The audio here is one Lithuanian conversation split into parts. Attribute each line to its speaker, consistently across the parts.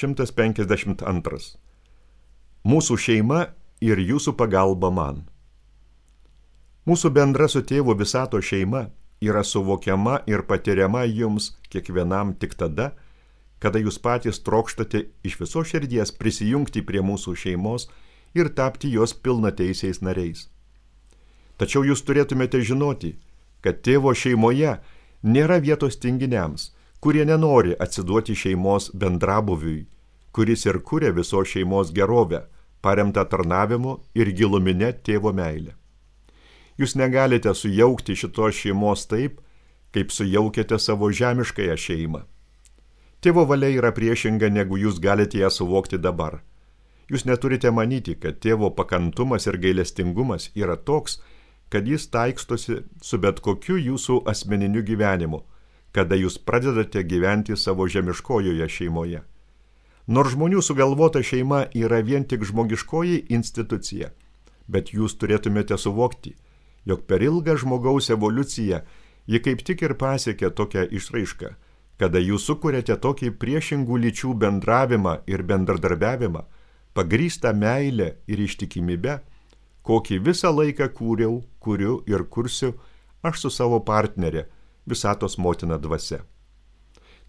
Speaker 1: 152. Mūsų šeima ir jūsų pagalba man. Mūsų bendra su tėvu visato šeima yra suvokiama ir patiriama jums kiekvienam tik tada, kada jūs patys trokštate iš viso širdies prisijungti prie mūsų šeimos ir tapti jos pilnateisiais nariais. Tačiau jūs turėtumėte žinoti, kad tėvo šeimoje nėra vietos tinginiams, kurie nenori atsiduoti šeimos bendrabuviui, kuris ir kuria visos šeimos gerovę, paremtą tarnavimu ir giluminė tėvo meilė. Jūs negalite sujaukti šitos šeimos taip, kaip sujaukėte savo žemiškąją šeimą. Tėvo valia yra priešinga, negu jūs galite ją suvokti dabar. Jūs neturite manyti, kad tėvo pakantumas ir gailestingumas yra toks, kad jis taikstosi su bet kokiu jūsų asmeniniu gyvenimu, kada jūs pradedate gyventi savo žemiškojoje šeimoje. Nors žmonių sugalvota šeima yra vien tik žmogiškoji institucija, bet jūs turėtumėte suvokti, jog per ilgą žmogaus evoliuciją ji kaip tik ir pasiekė tokią išraišką, kada jūs sukuriate tokį priešingų lyčių bendravimą ir bendradarbiavimą, pagrįstą meilę ir ištikimybę, kokį visą laiką kuriu ir kursiu aš su savo partnerė, visatos motina dvasia.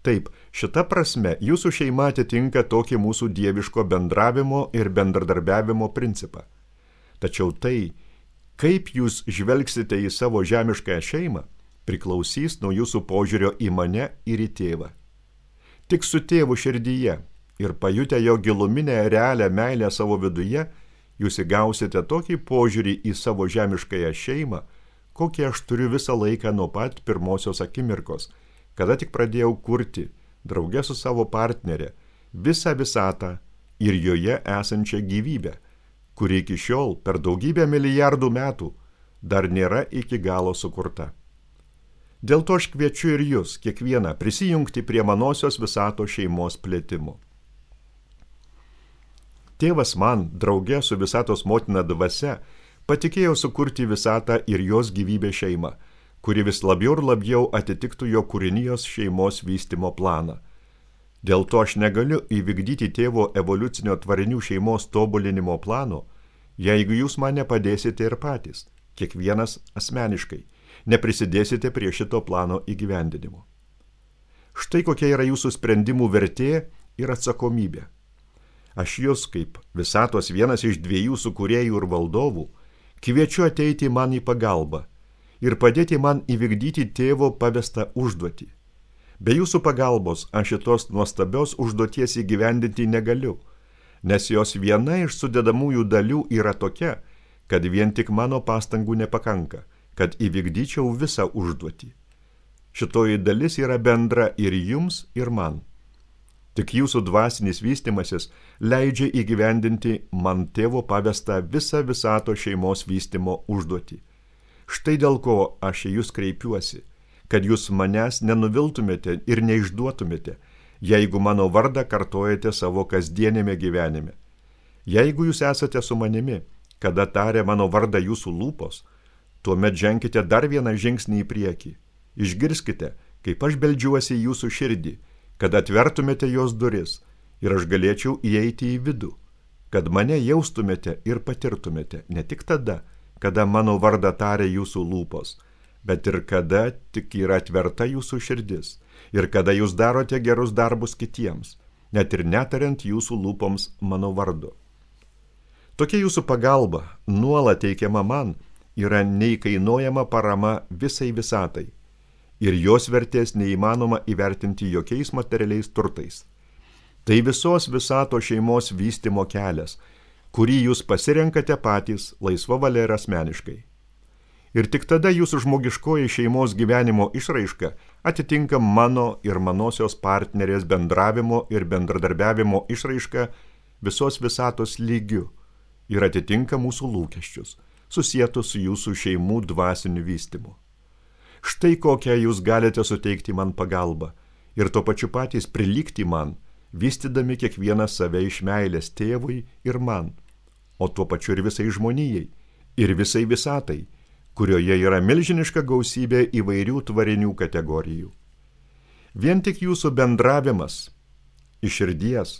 Speaker 1: Taip, šita prasme jūsų šeima atitinka tokį mūsų dieviško bendravimo ir bendradarbiavimo principą. Tačiau tai, kaip jūs žvelgsite į savo žemiškąją šeimą, priklausys nuo jūsų požiūrio į mane ir į tėvą. Tik su tėvu širdyje ir pajutę jo giluminę realią meilę savo viduje, jūs įgausite tokį požiūrį į savo žemiškąją šeimą, kokį aš turiu visą laiką nuo pat pirmosios akimirkos, kada tik pradėjau kurti, drauge su savo partnerė, visą visatą ir joje esančią gyvybę, kuri iki šiol per daugybę milijardų metų dar nėra iki galo sukurta. Dėl to aš kviečiu ir jūs, kiekvieną, prisijungti prie manosios visato šeimos plėtimo. Tėvas man, drauge su visatos motina dvasia, patikėjo sukurti visatą ir jos gyvybę šeimą, kuri vis labiau ir labiau atitiktų jo kūrinijos šeimos vystymo planą. Dėl to aš negaliu įvykdyti tėvo evoliucinio tvarinių šeimos tobulinimo plano, jeigu jūs man nepadėsite ir patys, kiekvienas asmeniškai, neprisidėsite prie šito plano įgyvendinimo. Štai kokia yra jūsų sprendimų vertė ir atsakomybė. Aš jūs, kaip visatos vienas iš dviejų sukūrėjų ir valdovų, kviečiu ateiti man į pagalbą ir padėti man įvykdyti tėvo pavestą užduotį. Be jūsų pagalbos aš šitos nuostabios užduoties įgyvendinti negaliu, nes jos viena iš sudedamųjų dalių yra tokia, kad vien tik mano pastangų nepakanka, kad įvykdyčiau visą užduotį. Šitoji dalis yra bendra ir jums, ir man. Tik jūsų dvasinis vystimasis leidžia įgyvendinti man tėvo pavestą visą visato šeimos vystymo užduotį. Štai dėl ko aš į jūs kreipiuosi, kad jūs manęs nenuviltumėte ir neišduotumėte, jeigu mano vardą kartojate savo kasdienėme gyvenime. Jeigu jūs esate su manimi, kada taria mano vardą jūsų lūpos, tuomet ženkite dar vieną žingsnį į priekį. Išgirskite, kaip aš beldžiuosi į jūsų širdį, kad atvertumėte jos duris ir aš galėčiau įeiti į vidų, kad mane jaustumėte ir patirtumėte ne tik tada, kada mano vardą taria jūsų lūpos, bet ir kada tik yra atverta jūsų širdis ir kada jūs darote gerus darbus kitiems, net ir netariant jūsų lūpoms mano vardu. Tokia jūsų pagalba, nuolat teikiama man, yra neįkainojama parama visai visatai. Ir jos vertės neįmanoma įvertinti jokiais materialiais turtais. Tai visos visato šeimos vystymo kelias, kurį jūs pasirenkate patys laisva valia ir asmeniškai. Ir tik tada jūsų žmogiškoji šeimos gyvenimo išraiška atitinka mano ir manosios partnerės bendravimo ir bendradarbiavimo išraiška visos visatos lygiu ir atitinka mūsų lūkesčius, susietus su jūsų šeimų dvasiniu vystymu. Štai kokią jūs galite suteikti man pagalbą ir tuo pačiu patys prilygti man, vystydami kiekvieną save iš meilės tėvui ir man, o tuo pačiu ir visai žmonijai, ir visai visatai, kurioje yra milžiniška gausybė įvairių tvarinių kategorijų. Vien tik jūsų bendravimas iš širdies,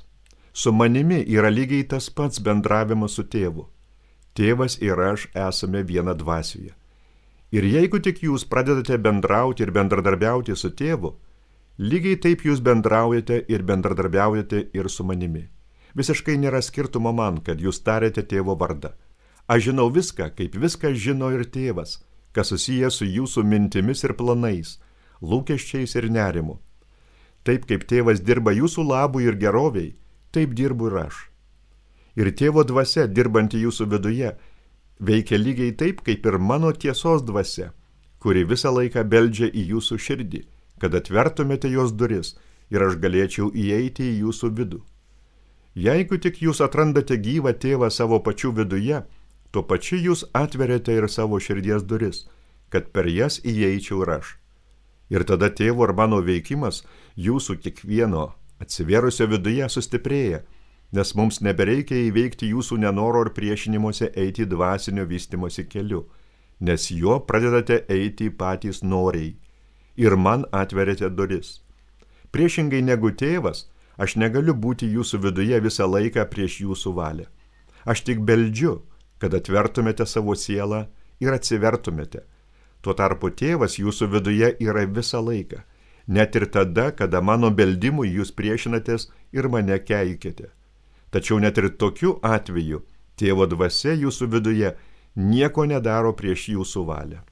Speaker 1: Su manimi yra lygiai tas pats bendravimas su tėvu. Tėvas ir aš esame viena dvasioje. Ir jeigu tik jūs pradedate bendrauti ir bendradarbiauti su tėvu, lygiai taip jūs bendraujate ir bendradarbiaujate ir su manimi. Visiškai nėra skirtumo man, kad jūs tarėte tėvo vardą. Aš žinau viską, kaip viską žino ir tėvas, kas susiję su jūsų mintimis ir planais, lūkesčiais ir nerimu. Taip kaip tėvas dirba jūsų labui ir geroviai, taip dirbu ir aš. Ir tėvo dvasia, dirbanti jūsų viduje, veikia lygiai taip, kaip ir mano tiesos dvasia, kuri visą laiką beldžia į jūsų širdį, kad atvertumėte jos duris ir aš galėčiau įeiti į jūsų vidų. Jeigu tik jūs atrandate gyvą tėvą savo pačių viduje, tuo pačiu jūs atveriate ir savo širdies duris, kad per jas įeičiau ir aš. Ir tada tėvo ir mano veikimas jūsų kiekvieno atsiverusio viduje sustiprėja, nes mums nebereikia įveikti jūsų nenoro ir priešinimuose eiti dvasinio vystimosi keliu, nes juo pradedate eiti patys noriai ir man atveriate duris. Priešingai negu tėvas, aš negaliu būti jūsų viduje visą laiką prieš jūsų valią. Aš tik beldžiu, kad atvertumėte savo sielą ir atsivertumėte. Tuo tarpu tėvas jūsų viduje yra visą laiką, net ir tada, kada mano beldimui jūs priešinatės ir mane keikite. Tačiau net ir tokiu atveju tėvo dvasia jūsų viduje nieko nedaro prieš jūsų valią.